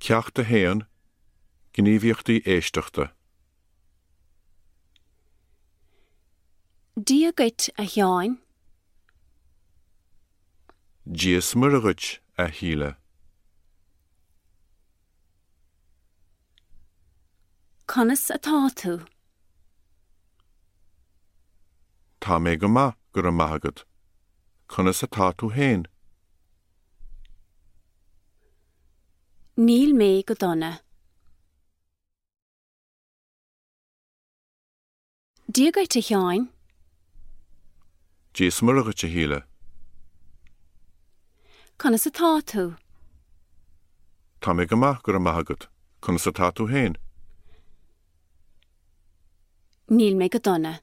Ceacht 1, Gníomhaíochtaí Éisteachta. Dia dhuit, a Sheáin. Dia 's Muire dhuit, a Shíle. Conas atá tú? Tá mé go maith, go raibh maith agat. Conas atá tú féin? Níl mé go dona. Dia dhuit, a Sheáin. Dia 's Muire dhuit, a Shíle. Conas atá tú? Tá mé go maith, go raibh maith agat. Conas atá tú féin? Níl mé go dona.